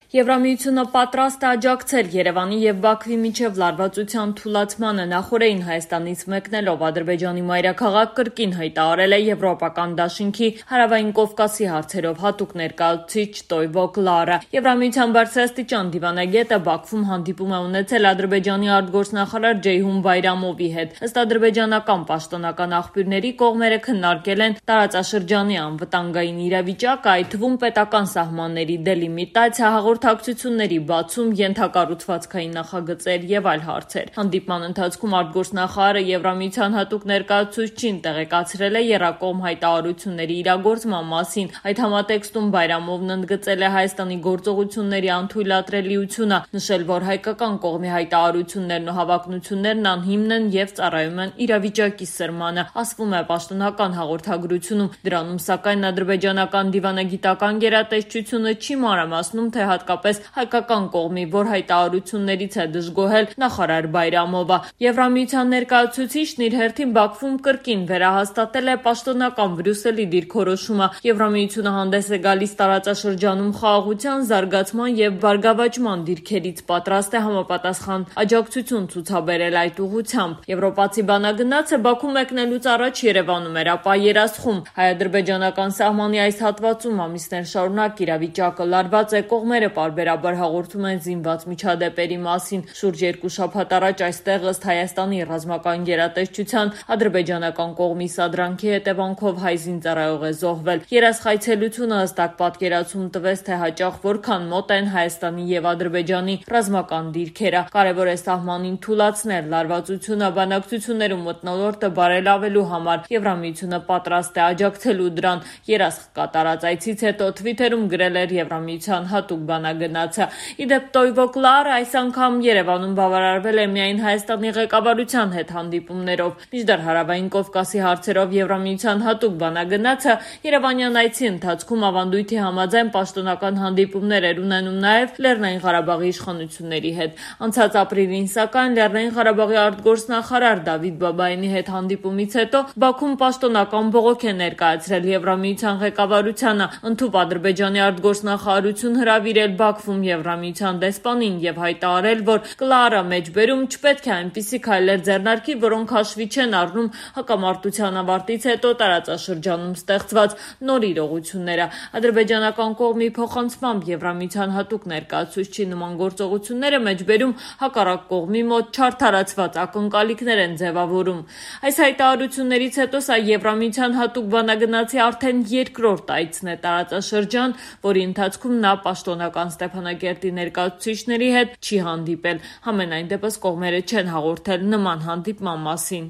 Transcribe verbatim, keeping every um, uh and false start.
Եվրամիությունը պատրաստ է աջակցել Երևանի և Բաքվի միջև լարվածության թուլացմանը։ Նախօրեին Հայաստանից մեկնելով Ադրբեջանի մայրաքաղաք կրկին հայտարարել է Եվրոպական դաշինքի հարավային Կովկասի հարցերով հատուկ ներկայացուցիչ Տոյվո Կլարը։ Եվրամիության բարձրաստիճան դիվանագետը Բաքվում հանդիպում է ունեցել Ադրբեջանի արտգործնախարար Ջեյհուն Բայրամովի հետ։ Ըստ ադրբեջանական պաշտոնական աղբյուրների կողմերը քննարկել են տարածաշրջանի անվտանգային իրավիճակը, այդ թվում պետական սահմանների դելիմիտացիա, հաղորդակցությունների բացում, ենթակառուցվածքային նախագծեր եւ այլ հարցեր։ Հանդիպման ընթացքում արտգործնախարարը Եվրամիության հատուկ ներկայացուցչին տեղեկացրել է եռակողմ հայտարարությունների իրագործման մասին։ Այդ համատեքստում Բայրամովն ընդգծել է Հայաստանի գործողությունների անթույլատրելիությունը, նշել, որ հայկական կողմի հայտարարություններն ու հավակնություններն անհիմն են եւ ծառայում են իրավիճակի սրմանը, ասվում է պաշտոնական հաղորդագրությունում։ Դրանում, սակայն, ադրբեջանական դիվանագիտական գերատեսչությունը չի մանրամասնում, թե հատկապես հայկական կողմի որ հայտարարություններից է դժգոհել նախարար Բայրամովը։ Եվրամիության ներկայացուցիչն իր հերթին Բաքվում կրկին վերահաստատել է պաշտոնական Բրյուսելի դիրքորոշումը։ Եվրամիությունը հանդես է գալիս տարածաշրջանում խաղաղության, զարգացման եւ բարգավաճման դիրքերից պատրաստ է համապատասխան աջակցություն ցուցաբերել այդ ուղղությամբ։ Եվրոպացի բանագնացը Բաքու մեկնելուց առաջ Երևանում էր, ապա երասխում։ Հայ-ադրբեջանական սահմանի այս հատվածում ամիսներ շարունակ իրավիճակը լարված է, կողմերը պարբերաբար հաղորդում են զինված միջադեպերի մասին։ Շուրջ երկու շաբաթ առաջ այստեղ ըստ Հայաստանի ռազմական գերատեսչության ադրբեջանական կողմի սադրանքի հետևանքով հայ զինծառայող է զոհվել։ Երասխայցելությունը հստակ պատկերացում տվեց, թե հաճախ որքան մոտ են Հայաստանի եւ Ադրբեջանի ռազմական դիրքերը։ Կարևոր է սահմանին թուլացնել լարվածությունը բանակցություններում մթնոլորտը բարելավելու համար։ Եվրամիությունը պատրաստ է աջակցելու դրան։ Երասխ կատարած այցից հետո Թվիթերում գրել էր Եվրամիության հատուկ բանագնացը։ Իդեպ Տոյվո Կլարը այս անգամ Երևանում բավարարվել է միայն Հայաստանի ղեկավարության հետ հանդիպումներով։ Մինչդեռ հարավային Կովկասի հարցերով Եվրամիության հատուկ բանագնացը Երևանյան այցի ընթացքում ավանդույթի համաձայն պաշտոնական հանդիպումներ էր ունենում նաև Լեռնային Ղարաբաղի իշխանությունների հետ։ Անցած ապրիլին, սակայն, Լեռնային Ղարաբաղի արտգործնախարար Դավիթ Բաբայանի հետ հանդիպումից հետո Բաքուն պաշտոնական բողոք է ներկայացրել Եվրամիության ղեկավարությանը, ընդհուպ Ադրբեջանի արտգործնախարարություն հրավիրել Բաքվում Եվրամիության դեսպանին եւ հայտարարել, որ Կլարը մեջբերում չպետք է այնպիսի քայլեր ձեռնարկի, որոնք հաշվի չեն առնում հակամարտության ավարտից հետո տարածաշրջանում ստեղծված նոր իրողությունները։ Ադրբեջանական կողմի փոխանցմամբ Եվրամիության հատուկ ներկայացուցչի նման գործողությունները մեջբերում հակառակ կողմի մոտ չարդարացված ակնկալիքներ են ձևավորում։ Այս հայտարարություններից հետո սա Եվրամիության հատուկ բանագնացի արդեն երկրորդ այցն է տարածաշրջան, որի ընթացքում նա պաշտոնական Ստեփանակերտի ներկայացուցիչների հետ չի հանդիպել։ Համենայն դեպս կողմերը չեն հաղորդել նման հանդիպման մասին։